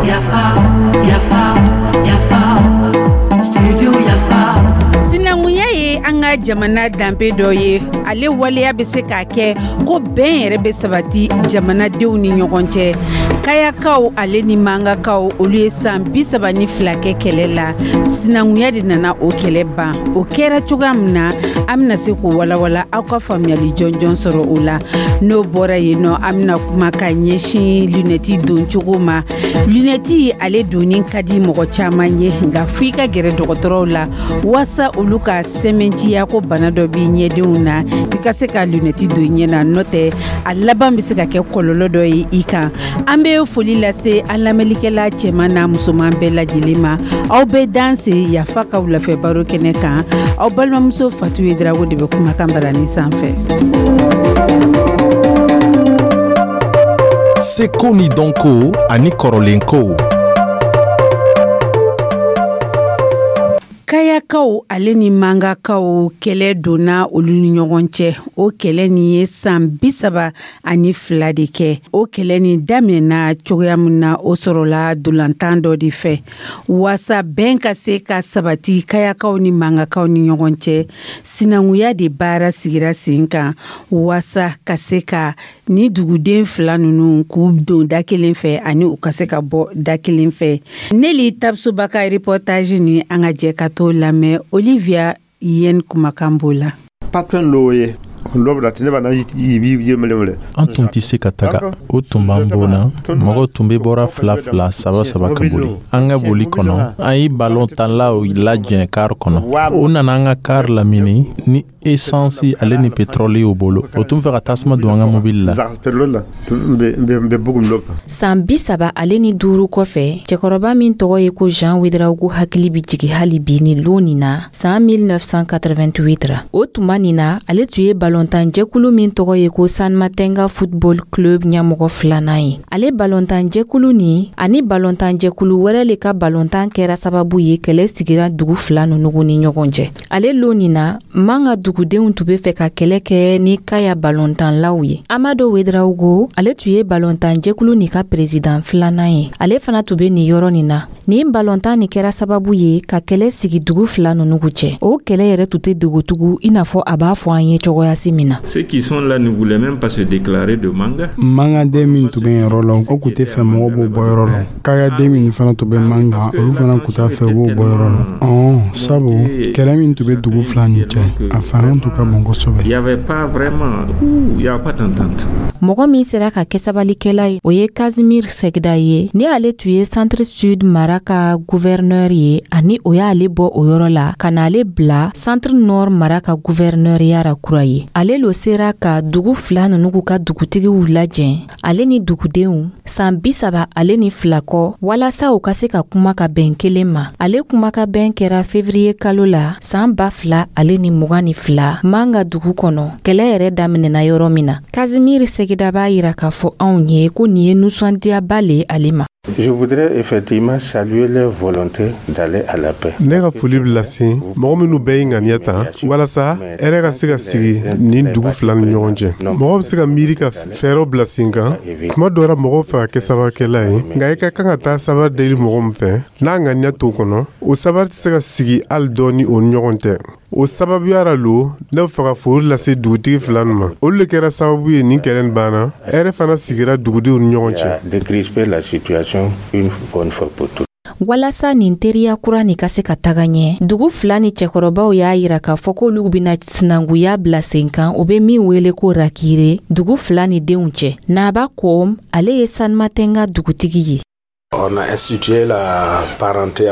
Yafa, yafa, yafa, Studio Yafa. Sinankunya ye an ka jamana danbe dɔ ye. Ale waleya bɛ se k'a kɛ ko bɛn yɛrɛ bɛ sabati jamanadenw ni ɲɔgɔn cɛ. Kayakaw ale ni Mangakaw, olu ye san 32 kɛ kɛlɛ la. Sinankunya de nana o kɛlɛ ban. O kɛra cogoya min na, an bɛna se k'o walawala, aw ka faamuyali jɔnjɔn sɔrɔ o la. N'o bɔra yen nɔ, an bɛna kuma ka ɲɛsin lunɛti don cogo ma. Lunɛti ale donni ka di mɔgɔ caman ye, nka fo i ka gɛrɛ dɔgɔtɔrɔw la waasa olu ka sɛmɛntiya ko bana dɔ b'i ɲɛdenw na, i ka se ka lunɛti don ɲɛ na. N'o tɛ, a laban bɛ se ka kɛ kɔlɔlɔ dɔ ye i kan. An bɛ foli lase an lamɛnlikɛla cɛman n'a musoman bɛɛ lajɛlen ma. Aw bɛ danse Yafa ka wulafɛ baro kɛnɛ kan. Aw balimamuso Fatu Yedrago de bɛ kumakan barani sanfɛ. Seko ni dɔnko ani kɔrɔlenkow. Kayakaw ale ni Mangakaw, kɛlɛ donna olu ni ɲɔgɔn cɛ. O kɛlɛ nin ye san 32 de kɛ. O kɛlɛ nin daminɛna cogoya min na, o sɔrɔla dolantan dɔ de fɛ. Waasa bɛn ka se ka sabati Kayakaw ni Mangakaw ni ɲɔgɔn cɛ, sinankunya de baara sigira sen kan waasa ka se ka ni duguden fila ninnu k'u don da kelen fɛ ani u ka se ka bɔ da kelen fɛ. Neli Tabusoba ka reportage ni, an ka jɛ ka t'o lamɛn. Olivia Yen kumakan b'o la. Patron dɔw ye. An tun tɛ se ka taga. O tun b'an bon na. Mɔgɔw tun bɛ bɔra fila fila, saba saba ka boli. An ka boli kɔnɔ, an ye balontanlaw lajɛ kari kɔnɔ. U nana an ka kari lamini ni esansi ale ni petrɔli y'u bolo. O tun fɛ ka tasuma don an ka mobili la. San 35 kɔfɛ, cɛkɔrɔba min tɔgɔ ye ko Jean Ouedraogo hakili bɛ jigin hali bi ni lon nin na, san 1988 ra. O tuma nin na, ale tun ye balontanjɛkulu min tɔgɔ ye ko Sanmatenga Football Club ɲɛmɔgɔ filanan ye. Ale balontanjɛkulu nin ani balontanjɛkulu wɛrɛ le ka balontan kɛra sababu ye kɛlɛ sigira dugu fila ninnu ni ɲɔgɔn cɛ. Ale lon nin na, Manga dugudenw tun bɛ fɛ ka kɛlɛ kɛ ni Kaya balontanlaw ye. Amado Ouedraogo, ale tun ye balontanjɛkulu nin ka perezidan filanan ye. Ale fana tun bɛ nin yɔrɔ nin na. Nin balontan nin kɛra sababu ye ka kɛlɛ sigi dugu fila ninnu cɛ. O kɛlɛ yɛrɛ tun tɛ dogotugu i n'a fɔ a b'a fɔ an ye cogoyasi min na. Ceux qui sont là ne voulaient même pas se déclarer de Manga. Mangaden min tun bɛ yɔrɔ la, o tun tɛ fɛ mɔgɔw b'o bɔ yɔrɔ la. Kayaden min fana tun bɛ Manga, olu fana tun t'a fɛ u b'o bɔ yɔrɔ la. Ɔn, sabu kɛlɛ min tun bɛ dugu fila nin cɛ, a fanga tun ka bon kosɛbɛ. Il y avait pas vraiment, il y avait pas d'entente. Mɔgɔ min sera ka kɛ sabalikɛla ye, o ye Casimir Segda ye. Ni ale tun ye Centre Sud mara ka gouverneur ye, ani o y'ale bɔ o yɔrɔ la ka n'ale bila Centre Nord mara ka gouverneurya ra kura ye. Ale lo sera ka dugu fila ninnu ka dugutigiw lajɛ, ale ni dugudenw, san 32 kɔ, walasa u ka se ka kuma ka bɛn kelen ma. Ale kuma ka bɛn kɛra fevriye kalo la san 2022, Manga dugu kɔnɔ, kɛlɛ yɛrɛ daminɛna yɔrɔ min na. Casimir Segida b'a yira k'a fɔ anw ye ko nin ye nusɔndiyaba le ale ma. Je voudrais effectivement saluer leur volonté d'aller à la paix. Ne ka foli bɛ lase mɔgɔ minnu bɛɛ ye ŋaniya ta walasa hɛrɛ ka se ka sigi nin dugu fila ni ɲɔgɔn cɛ. Mɔgɔ bɛ se ka miiri ka fɛɛrɛw bila sen kan. Tuma dɔ la, mɔgɔw fɛ ka kɛ sabarikɛla ye, nka i ka kan ka taa sabari deli mɔgɔ min fɛ, n'a ŋaniya t'o kɔnɔ, o sabari tɛ se ka sigi hali dɔɔni o ni ɲɔgɔn cɛ. O sababuya ra lo, ne bɛ fɛ ka foli lase dugutigi fila nin ma. Olu de kɛra sababu ye nin kɛlɛ nin banna, hɛrɛ fana sigira dugudenw ni ɲɔgɔn cɛ. Décrisper la situation une bonne fois pour toutes. Walasa nin teriya kura nin ka se ka taga ɲɛ, dugu fila ni cɛkɔrɔbaw y'a yira k'a fɔ k'olu bɛna sinankuya bila sen kan, o bɛ min wele ko rakire, dugu fila ni denw cɛ. Naba Kom, ale ye Sanmatenga dugutigi ye.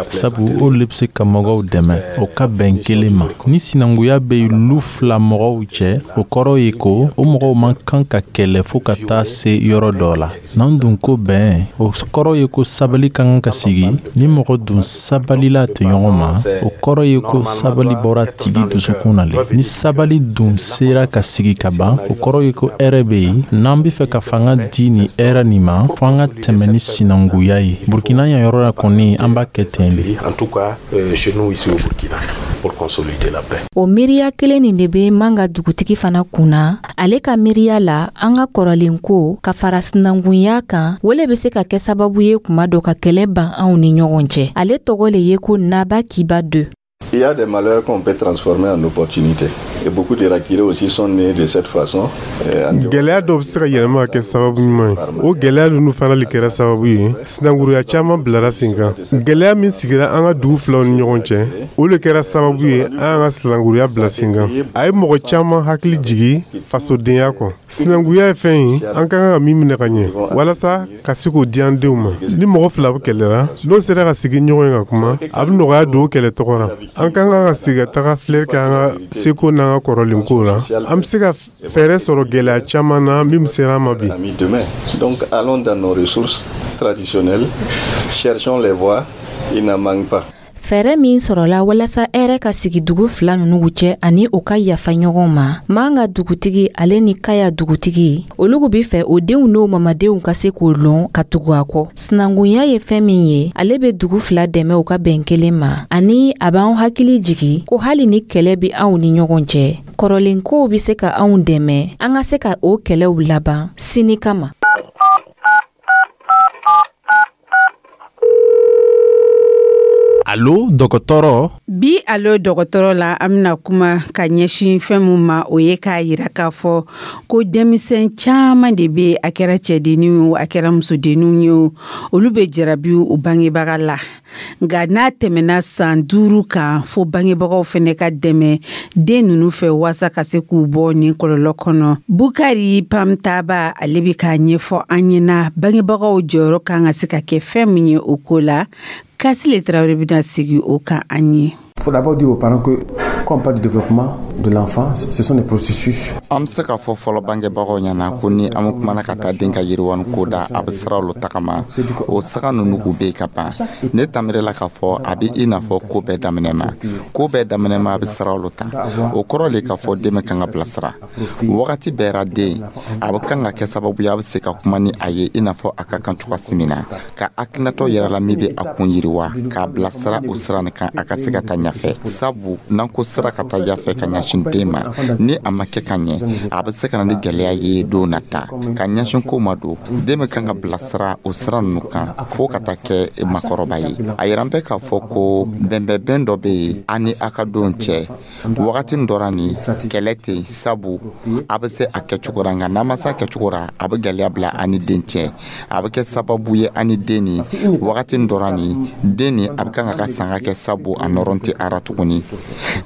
Sabu olu le bɛ se ka mɔgɔw dɛmɛ o ka bɛn kelen ma. Ni sinankunya bɛ lu fila mɔgɔw cɛ, o kɔrɔ ye ko o mɔgɔw man kan ka kɛlɛ fo ka taa se yɔrɔ dɔ la. N'an dun ko bɛn, o kɔrɔ ye ko sabali ka kan ka sigi. Ni mɔgɔ dun sabalila tɔɲɔgɔn ma, o kɔrɔ ye ko sabali bɔra tigi dusukun na le. Ni sabali dun sera ka sigi ka ban, o kɔrɔ ye ko hɛrɛ bɛ yen. N'an bɛ fɛ ka fanga di nin hɛrɛ nin ma, fo an ka tɛmɛ ni sinankunya ye. ye. Burkina yan yɔrɔ la kɔni, an b'a kɛ ten de. En tout cas, chez nous ici au Burkina, pour consolider la paix. O miiriya kelen nin de bɛ Manga dugutigi fana kunna. Ale ka miiriya la, an ka kɔrɔlen ko ka fara sinankunya kan, o le bɛ se ka kɛ sababu ye kuma dɔ ka kɛlɛ ban anw ni ɲɔgɔn cɛ. Ale tɔgɔ le ye ko Naba Kiba 2. Il y a des malheurs qu'on peut transformer en opportunités. Et beaucoup de Raquirés aussi sont nés de cette façon. Gɛlɛya dɔw bɛ se ka yɛlɛma ka kɛ sababu ɲuman ye. O gɛlɛya ninnu fana de kɛra sababu ye sinankunya caman bilara sen kan. Gɛlɛya min sigira an ka dugu filaw ni ɲɔgɔn cɛ, o de kɛra sababu ye an y'an ka sinankunya bila sen kan. A ye mɔgɔ caman hakili jigi fasodenya kɔ. Sinankunya ye fɛn ye an ka kan ka min minɛ ka ɲɛ walasa ka se k'o di an denw ma. Ni mɔgɔ fila bɛ kɛlɛla, n'o sera ka sigi ɲɔgɔn ye ka kuma, a bɛ nɔgɔya don o kɛlɛ tɔgɔ la. An ka kan ka sigi ka taga filɛ kɛ an ka seko n'an ka kɔrɔlen ko la. An bɛ se ka fɛɛrɛ sɔrɔ gɛlɛya caman na min sera an ma bi. Donc allons dans nos ressources traditionnelles, cherchons les voies, il n'en manque pas. Fɛɛrɛ min sɔrɔla walasa hɛrɛ ka sigi dugu fila ninnu cɛ ani u ka yafa ɲɔgɔn ma, Manga dugutigi ale ni Kaya dugutigi, olugu be fɛ o denw n'o mamadenw ka se k'o lɔn ka tugu a kɔ. Sinankunya ye fɛn min ye, ale be dugu fila dɛmɛ u ka bɛn kelen ma, ani a b'an hakili jigi ko hali ni kɛlɛ be anw ni ɲɔgɔn cɛ, kɔrɔlen kow be se ka anw dɛmɛ an ka se ka o kɛlɛw laban sini kama. Alo dɔgɔtɔrɔ. Bi alo dɔgɔtɔrɔ la, an bɛna kuma ka ɲɛsin fɛn min ma, o ye k'a yira k'a fɔ ko denmisɛn caman de bɛ, a kɛra cɛdenninw ye, a kɛra musodenninw ye, olu bɛ jarabi u bangebaga la. Nka n'a tɛmɛna san 5 kan, fo bangebagaw fɛnɛ ka dɛmɛ den ninnu fɛ waasa ka se k'u bɔ nin kɔlɔlɔ kɔnɔ. Bukari Pamtaba, ale bɛ k'a ɲɛfɔ an ɲɛna bangebagaw jɔyɔrɔ kan ka se ka kɛ fɛn min ye o ko la. Kasile Traoré bɛna sigi o kan an ye. Il faut d'abord dire aux parents que quand on parle du développement de l'enfant, ce sont des processus. An bɛ se k'a fɔ fɔlɔ bangebagaw ɲɛna ko ni an bɛ kumana ka taa den ka yiriwani ko da, a bɛ siraw lo tagama. O saga ninnu k'u bɛ yen ka ban. Ne tamirila k'a fɔ a bɛ i n'a fɔ ko bɛɛ daminɛ ma. Ko bɛɛ daminɛ ma, a bɛ siraw lo ta. O kɔrɔ le k'a fɔ den bɛ kan ka bilasira. Wagati bɛɛ ra den, a bɛ kan ka kɛ sababu ye a bɛ se ka kuma ni a ye i n'a fɔ a ka kan cogoya min na. Ka hakilinatɔ yɛrɛ la min bɛ a kun yiriwa, k'a bilasira o sira nin kan a ka se ka taa ɲɛfɛ. Sabu n'an ko sira ka taa ɲɛfɛ ka ɲɛsin den ma, ni a ma kɛ ka ɲɛ, a bɛ se ka na ni gɛlɛya ye don nata ka ɲɛsin ko ma don. Den bɛ kan ka bilasira o sira ninnu kan fo ka taa kɛ makɔrɔba ye. A yira an bɛ k'a fɔ ko bɛnbɛnbɛn dɔ bɛ yen an ni a ka don cɛ. Wagati dɔ la nin kɛlɛ tɛ yen, sabu a bɛ se a kɛcogo la, nka n'a ma se a kɛcogo la, a bɛ gɛlɛya bila an ni den cɛ. A bɛ kɛ sababu ye an ni den ni wagati dɔ la nin den ni a bɛ kan ka sanga kɛ, sabu a nɔrɔ tɛ ara tuguni.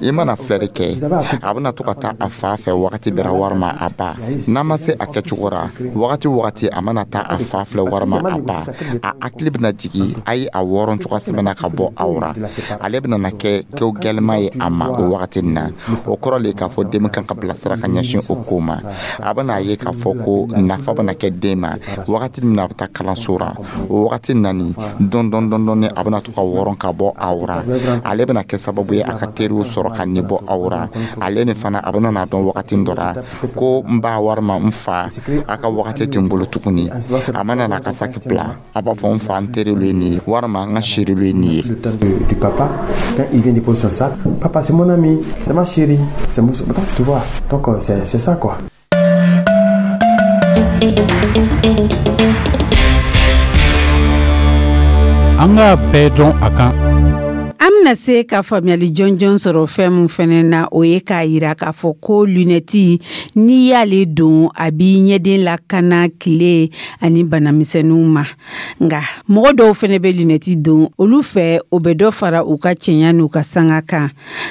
I mana filɛri kɛ, a bɛna to ka taa a fa fɛ wagati bɛɛ walima a ba. N'a ma se a kɛcogo la, wagati a mana taa a fa filɛ walima a ba, a hakili bɛna jigin a ye a wɔrɔn cogoya sɛbɛnna ka bɔ aw ra. Ale bɛna na kɛ ko gɛlɛma ye a ma o wagati nin na. O kɔrɔ le k'a fɔ den kan ka bilasira ka ɲɛsin o ko ma. A bɛna ye k'a fɔ ko nafa bɛna kɛ den ma wagati min na a bɛ taa kalanso la. O wagati na nin dɔɔni dɔɔni a bɛna to ka wɔrɔn ka bɔ aw ra. Ale bɛna kɛ sababu ye a ka teriw sɔrɔ ka nin bɔ aw ra. Ale ni fana a bɛna n'a dɔn wagati dɔ la ko n ba walima n fa a ka wagati tɛ n bolo tuguni. A mana n'a ka saki bila, a b'a fɔ n fa n teriw ye nin ye walima n ka seriw ye nin ye. Du papa, quand il vient déposer son sac, papa c'est mon ami, c'est ma chérie, c'est mon, tu vois. Donc c'est ça quoi. An k'a bɛɛ dɔn a kan. An bɛna se ka faamuyali jɔnjɔn sɔrɔ fɛn min fɛnɛ na, o ye k'a yira k'a fɔ ko lunɛti, n'i y'ale don, a b'i ɲɛden lakana tile ani banamisɛnninw ma. Nka mɔgɔ dɔw fɛnɛ bɛ lunɛti don, olu fɛ o bɛ dɔ fara u ka cɛɲa n'u ka sanga kan.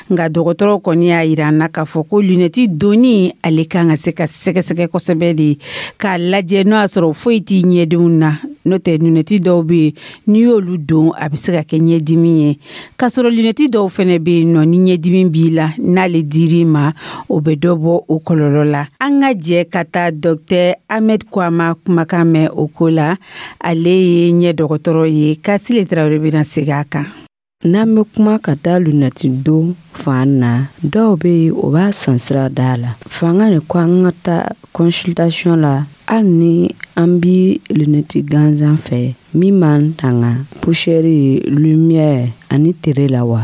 Nka dɔgɔtɔrɔw kɔni y'a yira an na k'a fɔ ko lunɛti donni, ale kan ka se ka sɛgɛsɛgɛ kosɛbɛ de k'a lajɛ n'o y'a sɔrɔ foyi t'i ɲɛdenw na. N'o tɛ lunɛti dɔw bɛ yen, n'i y'olu don, a bɛ se ka kɛ ɲɛdimi ye. K'a sɔrɔ lunɛti dɔw fɛnɛ bɛ yen nɔ, ni ɲɛdimi b'i la, n'ale dir'i ma, o bɛ dɔ bɔ o kɔlɔlɔ la. An ka jɛ ka taa Dr Ahmed Kwama kumakan mɛn o ko la. Ale ye ɲɛ dɔgɔtɔrɔ ye. Kasile Traoré bɛna segin a kan. N'an bɛ kuma ka taa lunɛti don fan na, dɔw bɛ yen o b'a san sira da la. Fanga de ko an ka taa consultation la, hali ni An bi lunɛti gansan fɛ min b'an tanga poussière, lumière ani tere la wa?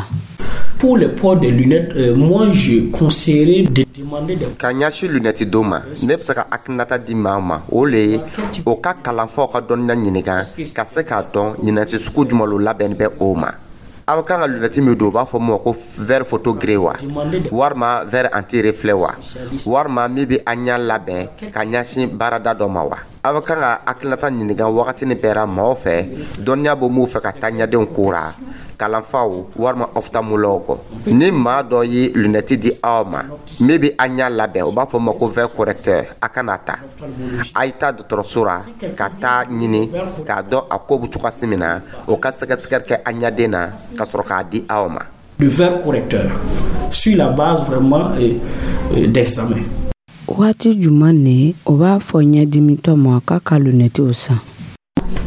Pour le port des lunettes, moi je conseillerais de demander des. Ka ɲɛsin lunɛti don ma, ne bɛ se ka hakilinata di maa ma, o le ye o ka kalanfaw ka dɔnniya ɲininka ka se k'a dɔn lunɛti sugu jumɛn lo labɛnni bɛ o ma. Aw kan ka lunɛti min don, u b'a fɔ min ma ko verre photogré wa, walima verre anti reflet wa, walima min bɛ an ɲɛ labɛn ka ɲɛsin baarada dɔ ma wa. Aw kan ka hakilinata ɲininka wagatini bɛɛ ra maaw fɛ dɔnniya bɛ mun fɛ ka taa ɲɛdenw ko ra, kalanfaw walima ophtalmologue. Ni maa dɔ ye lunɛti di aw ma min bɛ an ɲɛ labɛn, u b'a fɔ ma ko verre correcteur, a kana ta. A ye taa dɔgɔtɔrɔso ra ka taa ɲini k'a dɔn a ko bɛ cogoya min na, o ka sɛgɛsɛgɛli kɛ an ɲɛden na ka sɔrɔ k'a di aw ma. Le verre correcteur, sur la base vraiment d'examen. Waati jumɛn ne o b'a fɔ ɲɛdimitɔ ma k'a ka lunɛtiw san?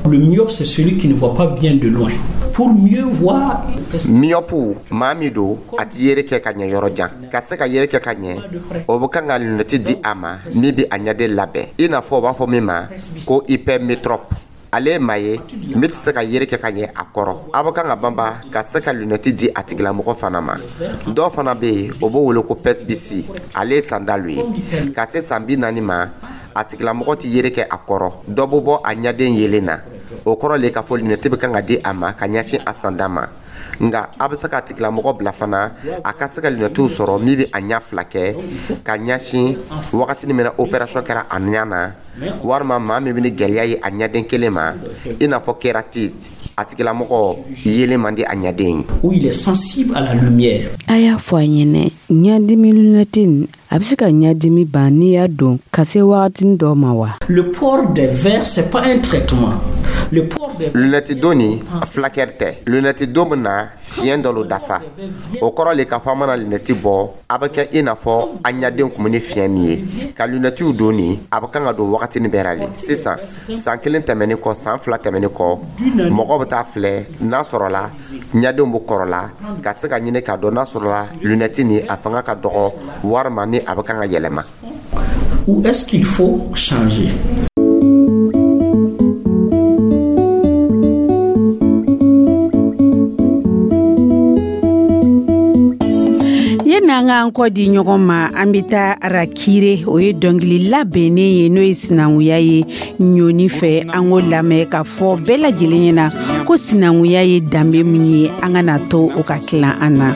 Le myope, c'est celui qui ne voit pas bien de loin. Pour mieux voir. Myope, maa min don, a ti yere kɛ ka ɲɛ yɔrɔ jan. Ka se ka yere kɛ ka ɲɛ, o bɛ kan ka lunɛti di a ma min bɛ a ɲɛden labɛn, i n'a fɔ o b'a fɔ min ma ko hypermétrope. Ale ye maa ye min tɛ se ka yere kɛ ka ɲɛ a kɔrɔ. A bɛ kan ka banba ka se ka lunɛti di a tigilamɔgɔ fana ma. Dɔw fana bɛ yen, o b'o wele ko presbytie. Ale ye sandalu ye. Ka se san 40 ma, a tigilamɔgɔ tɛ yere kɛ a kɔrɔ, dɔ bɛ bɔ a ɲɛden yelen na. O kɔrɔ le k'a fɔ lunɛti bɛ kan ka di a ma ka ɲɛsin a sanda ma. Nka a bɛ se ka tigilamɔgɔ bila fana a ka se ka lunɛtiw sɔrɔ min bɛ a ɲɛ fila kɛ ka ɲɛsin wagati min na opération kɛra a ɲɛ na, walima maa min bɛ ni gɛlɛya ye a ɲɛden kelen ma, i n'a fɔ kératite, a tigilamɔgɔ yelen man di a ɲɛden ye. Où il est sensible à la lumière. A y'a fɔ a ɲɛnɛ, ɲɛdimi lunɛti a bɛ se ka ɲɛdimi ban n'i y'a don ka se wagatinin dɔ ma wa? Le port des verres, c'est pas un traitement. Le port des. Lunɛti don ni fulakɛri tɛ. Lunɛti don bɛ na fiɲɛ dɔ lo dafa. O kɔrɔ le k'a fɔ an mana lunɛti bɔ, a bɛ kɛ i n'a fɔ an ɲɛden kun bɛ ni fiɲɛ min ye. Ka lunɛtiw don ni, a bɛ kan ka don wagatinin bɛɛ ra le. Sisan, san kelen tɛmɛnen kɔ, san 2 tɛmɛnen kɔ, mɔgɔ bɛ taa filɛ n'a sɔrɔla ɲɛdenw bɛ kɔrɔla, ka se ka ɲini k'a dɔn n'a sɔrɔla lunɛti ni a fanga ka dɔgɔ, walima ni a bɛ kan ka yɛlɛma. Ou est-ce qu'il faut changer? N'an k'an kɔ di ɲɔgɔn ma, an bɛ taa Arakire. O ye dɔnkili labɛnnen ye, n'o ye sinankunya ye ɲɔni fɛ. An k'o lamɛn ka fɔ bɛɛ lajɛlen ɲɛna ko sinankunya ye danbe min ye, an ka na to o ka tilan an na.